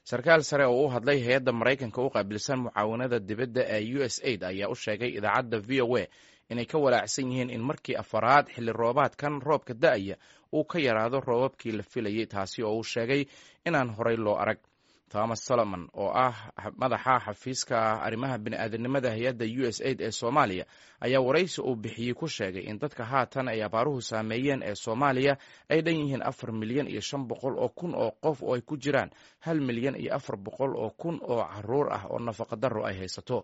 Sarkaal sare oo u hadlay hay-adda Maraykanka u qaabilsan mucaawanada dibadda ee USAID ayaa u sheegay idaacadda VOA inay ka walaacsan yihiin in markii afaraad xilli roobaadkan roobka da'aya uu ka yaraado roobabkii la filayay, taasi oo uu sheegay inaan horay loo arag. Thomas Solomon oo ah madaxa xafiiska arrimaha bini'aadanimada hay-adda USAID ee Soomaaliya ayaa waraysi uu bixiyey ku sheegay in dadka haatan ay abaaruhu saameeyeen ee Soomaaliya ay dhan yihiin 4,500,000 oo qof, oo ay ku jiraan 1,400,000 oo caruur ah oo nafaqadaro ay haysato.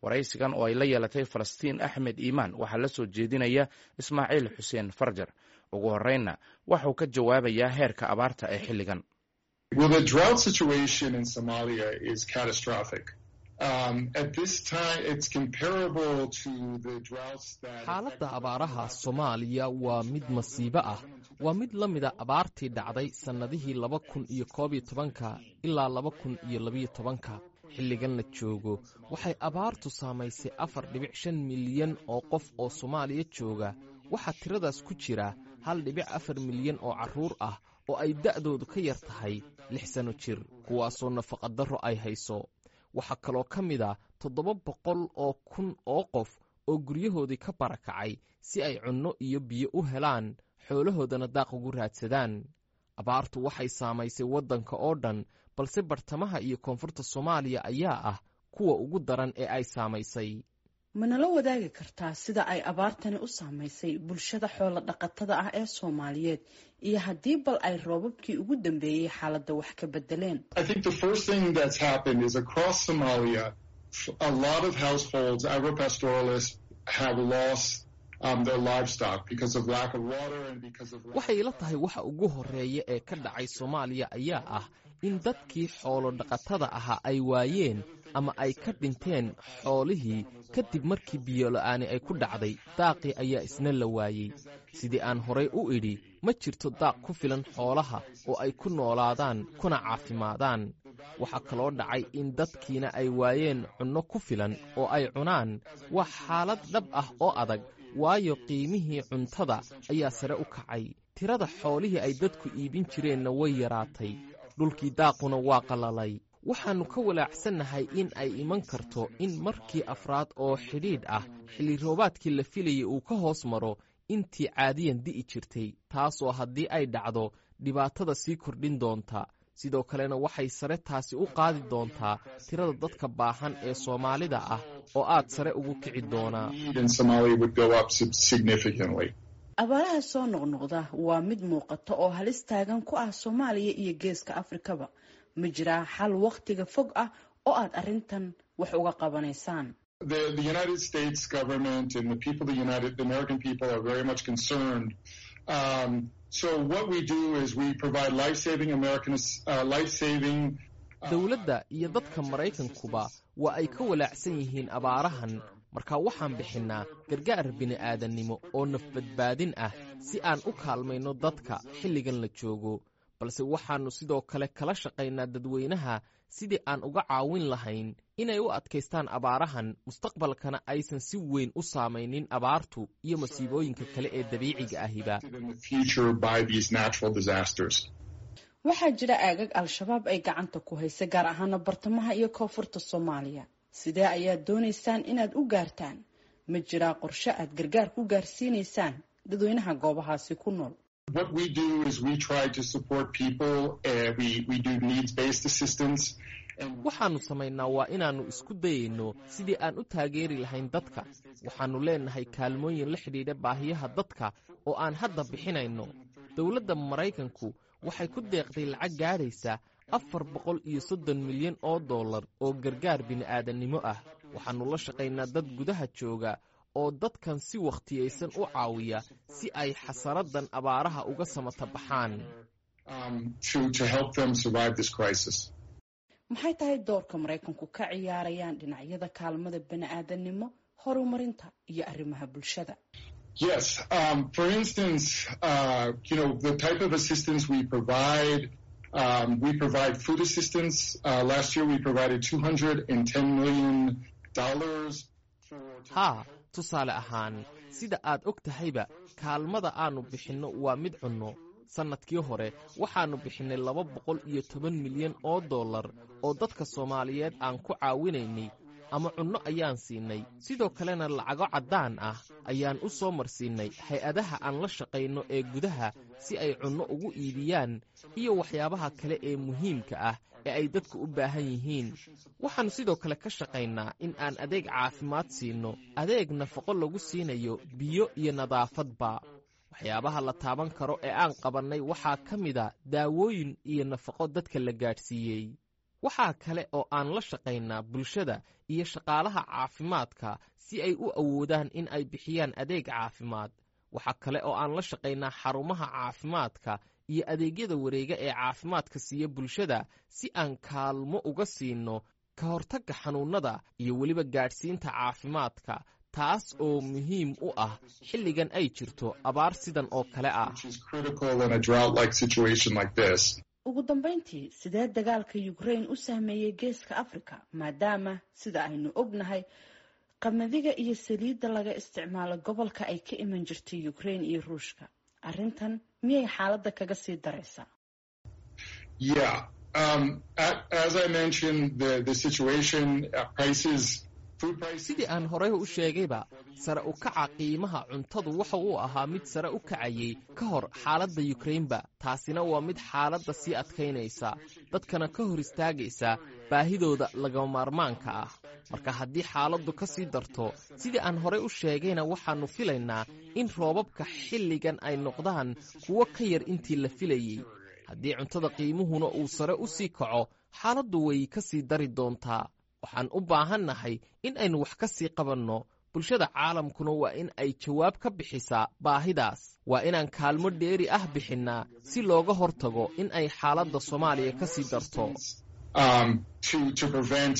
Waraysigan oo ay la yeelatay Falastiin Axmed Iimaan waxaa la soo jeedinaya Ismaaciil Xuseen Farjar. Ugu horreynna waxuu ka jawaabayaa heerka abaarta ee xilligan. Well, the drought situation in Somalia is catastrophic. At this time, it's comparable to the droughts that. Xaaladda abaaraha Soomaaliya waa mid masiibo ah. Waa mid la mida abaartii dhacday sannadihii 2011-ka ilaa 2012-ka. Xilligan la joogo waxay abaartu saamaysay 4.5 milyan oo qof oo Soomaaliya jooga. Waxaa tiradaas ku jira 1.4 milyan oo carruur ah oo ay da'doodu ka yar tahay 6 sano jir, kuwaasoo nafaqadarro ay hayso. Waxaa kaloo ka mid a 700,000 oo qof oo guryahoodii ka barakacay si ay cunno iyo biyo u helaan, xoolahoodana daaq ugu raadsadaan. Abaartu waxay saamaysay waddanka oo dhan, balse bartamaha iyo koonfurta Soomaaliya ayaa ah kuwa ugu daran ee ay saamaysay. Manala wadaagi kartaa sida ay abaartani u saamaysay bulshada xoola dhaqatada ah ee Soomaaliyeed iyo haddii bal ay roobabkii ugu dambeeyey xaaladda wax ka bedeleen? I think the first thing that's happened is across Somalia, a lot of households, agropastoralists, have lost their livestock because of lack of water and because of. Waxay ila tahay waxa ugu horreeya ee ka dhacay Soomaaliya ayaa ah in dadkii xoolo dhaqatada ahaa ay waayeen ama ay ka dhinteen xoolihii kadib markii biyola'aani ay ku dhacday. Daaqii ayaa isna la waayey. Sidii aan horay u idhi, ma jirto daaq ku filan xoolaha oo ay ku noolaadaan kuna caafimaadaan. Waxaa kaloo dhacay in dadkiina ay waayeen cunno ku filan oo ay cunaan. Waa xaalad dhab ah oo adag, waayo qiimihii cuntada ayaa sare u kacay, tirada xoolihii ay dadku iibin jireenna way yaraatay, dhulkii daaquna waa qallalay. Waxaannu ka walaacsannahay in ay iman karto in markii afraad oo xidhiidh ah xilli roobaadkii la filayay uu ka hoos maro intii caadiyan di'i jirtay, taasoo haddii ay dhacdo dhibaatada sii kordhin doonta. Sidoo kalena waxay sare taasi u qaadi doontaa tirada dadka baahan ee Soomaalida ah oo aad sare ugu kici doonaa. Abaaraha soo noqnoqda waa mid muuqata oo halis taagan ku ah Soomaaliya iyo Geeska Afrikaba. Ma jiraa xal wakhtiga fog ah oo aad arrintan wax uga qabanaysaan? The United States government and the people, the American people are very much concerned. So what we do is we provide life-saving American, life-saving. Dowladda iyo dadka Maraykankuba waa ay ka walaacsan yihiin abaarahan. Marka waxaan bixinnaa gargaar bini'aadannimo oo nafbadbaadin ah si aan u kaalmayno dadka xilligan la joogo, balse waxaannu sidoo kale kala shaqaynaa dadweynaha sidii aan uga caawin lahayn inay u adkaystaan abaarahan, mustaqbalkana aysan si weyn u saamaynin abaartu iyo masiibooyinka kale ee dabiiciga ahiba. Waxaa jira aagag Al-Shabaab ay gacanta ku haysa, gaar ahaana bartamaha iyo koonfurta Soomaaliya. Sidee ayaad doonaysaan inaad u gaartaan? Ma jiraa qorshe aad gargaar ku gaarsiinaysaan dadweynaha goobahaasi ku nool? What we do is we try to support people. We do needs-based assistance. Waxaannu samaynaa waa inaannu isku dayayno sidii aan u taageeri lahayn dadka. Waxaannu leennahay kaalmooyin la xidhiidha baahiyaha dadka oo aan hadda bixinayno. Dowladda Maraykanku waxay ku deeqday lacag gaadhaysa 430 milyan oo dollar oo gargaar bini'aadannimo ah. Waxaannu la shaqaynaa dad gudaha jooga oo dadkan si wakhtiyaysan u caawiya si ay xasaraddan abaaraha uga samata baxaan. Maxay tahay doorka Maraykanku ka ciyaarayaan dhinacyada kaalmada bani'aadannimo, horumarinta iyo arrimaha bulshada? Yes. For instance, the type of assistance we provide, we provide food assistance. Last year we provided $210 million. Haa, tusaale ahaan, sida aad og tahayba, kaalmada aannu bixinno waa mid cunno. Sannadkii hore waxaannu bixinnay 210 milyan oo dollar oo dadka Soomaaliyeed aan ku caawinaynay ama cunno ayaan siinay. Sidoo kalena lacago caddaan ah ayaan u soo marsiinay hay-adaha aan la shaqayno ee gudaha si ay cunno ugu iibiyaan iyo waxyaabaha kale ee muhiimka ah ee ay dadku u baahan yihiin. Waxaannu sidoo kale ka shaqaynaa in aan adeeg caafimaad siinno, adeeg nafaqo lagu siinayo, biyo iyo nadaafadba. Waxyaabaha la taaban karo ee aan qabannay waxaa ka mida daawooyin iyo nafaqo dadka la gaadhsiiyey. Waxaa kale oo aan la shaqaynaa bulshada iyo shaqaalaha caafimaadka si ay u awoodaan in ay bixiyaan adeeg caafimaad. Waxaa kale oo aan la shaqaynaa xarumaha caafimaadka iyo adeegyada wareega ee caafimaadka siiya bulshada si aan kaalmo uga siinno ka hortagga xanuunnada iyo weliba gaadhsiinta caafimaadka, taas oo muhiim u ah xilligan ay jirto abaar sidan oo kale ah. Ugu dambeyntii, sidee dagaalka Ukraine u saameeyey Geeska Africa, maadaama sida aynu ognahay qamadiga iyo saliidda laga isticmaalo gobolka ay ka iman jirtay Ukraine iyo Ruushka? Arrintan miyay xaaladda kaga sii daraysaa? Yeah. As I mentioned, the situation, prices. Sidii aan horey u sheegayba, sare u kaca qiimaha cuntadu waxa uu ahaa mid sare u kacayay ka hor xaaladda Yukrainba. Taasina waa mid xaaladda sii adkaynaysa, dadkana ka hor istaagaysa baahidooda lagama maarmaanka ah. Marka haddii xaaladdu ka sii darto, sidii aan horey u sheegayna, waxaannu filaynaa in roobabka xilligan ay noqdaan kuwo ka yar intii la filayey. Haddii cuntada qiimuhuna uu sare u sii kaco, xaaladdu way ka sii dari doontaa. Waxaan u baahannahay in aynu wax ka sii qabanno. Bulshada caalamkuna waa in ay jawaab ka bixisaa baahidaas. Waa inaan kaalmo dheeri ah bixinnaa si looga hortago in ay xaaladda Soomaaliya ka sii darto. To prevent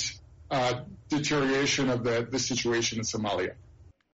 deterioration of the situation in Somalia.